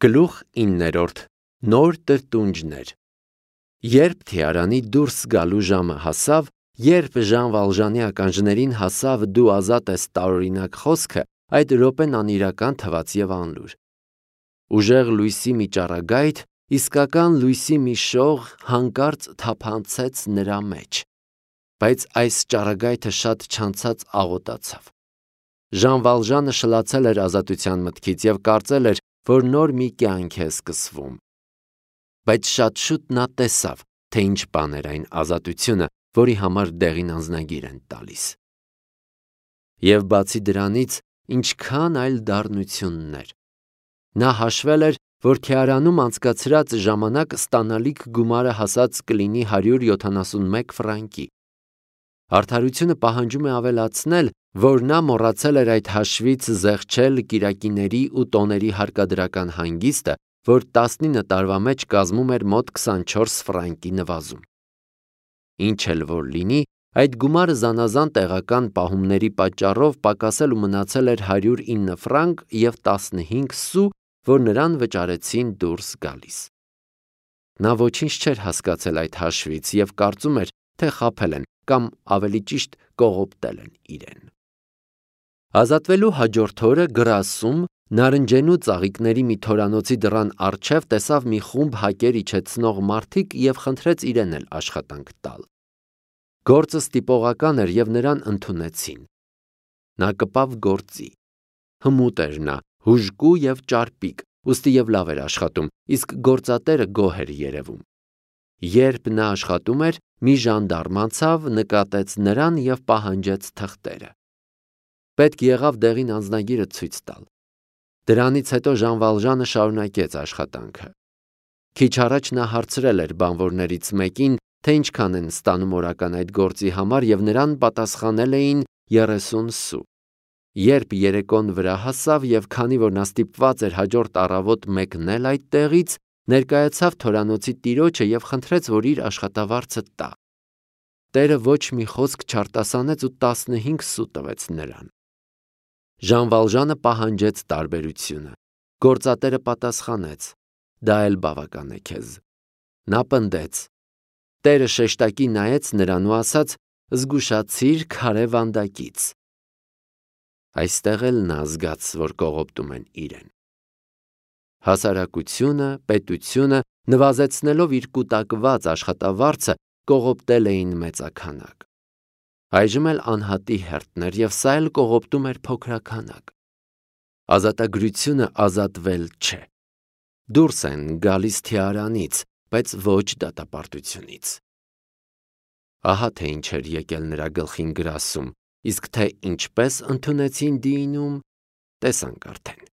Գլուխ 9. Նոր տրտունջներ։ Երբ Թիարանի դուրս գալու ժամը հասավ, երբ Ժան Վալժանի ականջներին հասավ «Դու ազատ ես» տարօրինակ խոսքը, այդ րոպեն անիրական թվաց և անլուր։ Ուժեղ լույսի մի ճառագայթ, իսկական լույսի մի շող հանկարծ թափանցեց նրա մեջ, բայց այս ճառագայթը շատ չանցած աղոտացավ։ Ժան Վալժանը շլացել էր ազատության մտքից և կարծել էր, որ նոր մի կյանք է սկսվում։ Բայց շատ շուտ նա տեսավ, թե ինչ բան էր այն ազատությունը, որի համար դեղին անձնագիր են տալիս։ Եվ բացի դրանից, ինչքան այլ դառնություններ։ Նա հաշվել էր, որ Թիարանում անցկացրած ժամանակ ստանալիք գումարը հասած կլինի 171 ֆրանկի։ Արդարությունը պահանջում է ավելացնել, որ նա մոռացել էր այդ հաշվից զեղչել կիրակիների ու տոների հարկադրական հանգիստը, որ 19 տարվա մեջ կազմում էր մոտ 24 ֆրանկի նվազում։ Ինչ էլ որ լինի, այդ գումարը զանազան տեղական պահումների պատճառով պակասել ու մնացել էր 109 ֆրանկ և 15 սու, որ նրան վճարեցին դուրս գալիս։ Նա ոչինչ չէր հասկացել այդ հաշվից և կարծում էր, թե խաբել են կամ ավելի ճիշտ կողոպտել են իրեն։ Ազատվելու հաջորդ օրը Գրասում նարնջենու ծաղիկների մի թորանոցի դռան առջև տեսավ մի խումբ հակեր իջեցնող մարդիկ և խնդրեց իրեն էլ աշխատանք տալ։ Գործը ստիպողական էր և նրան ընդունեցին։ Նա կպավ գործի։ Հմուտ էր նա, հուժկու և ճարպիկ, ուստի և լավ էր աշխատում, իսկ գործատերը գոհ էր երևում։ Երբ նա աշխատում էր, մի ժանդարմ անցավ, նկատեց նրան և պահանջեց թղթերը։ Պետք եղավ դեղին անձնագիրը ցույց տալ։ Դրանից հետո Ժան Վալժանը շարունակեց աշխատանքը։ Քիչ առաջ նա հարցրել էր բանվորներից մեկին, թե ինչքան են ստանում օրական այդ գործի համար և նրան պատասխանել էին 30 սու։ Երբ երեկոն վրա հասավ և քանի որ նա ստիպված էր հաջորդ առավոտ մեկնել այդ տեղից, ներկայացավ թորանոցի տիրոջը և խնդրեց, որ իր աշխատավարձը տա։ Տերը ոչ մի խոսք չարտասանեց ու 15 սու տվեց նրան։ Ժան Վալժանը պահանջեց տարբերությունը։ Գործատերը պատասխանեց. դա էլ բավական է քեզ։ Նա պնդեց։ Տերը շեշտակի նայեց նրան ու ասաց. զգուշացիր քարե վանդակից։ Այստեղ էլ նա զգաց, որ կողոպտում են իրեն։ Հասարակությունը, պետությունը, նվազեցնելով իր կուտակված աշխատավարձը, կողոպտել էին մեծաքանակ։ Այժմ էլ անհատի հերթն էր և սա էլ կողոպտում էր փոքրաքանակ։ Ազատագրությունը ազատվել չէ։ Դուրս են գալիս Թիարանից, բայց ոչ դատապարտությունից։ Ահա թե ինչ էր եկել նրա գլխին Գրասում, իսկ թե ինչպես ընդունեցին Դիինում, տեսանք արդեն։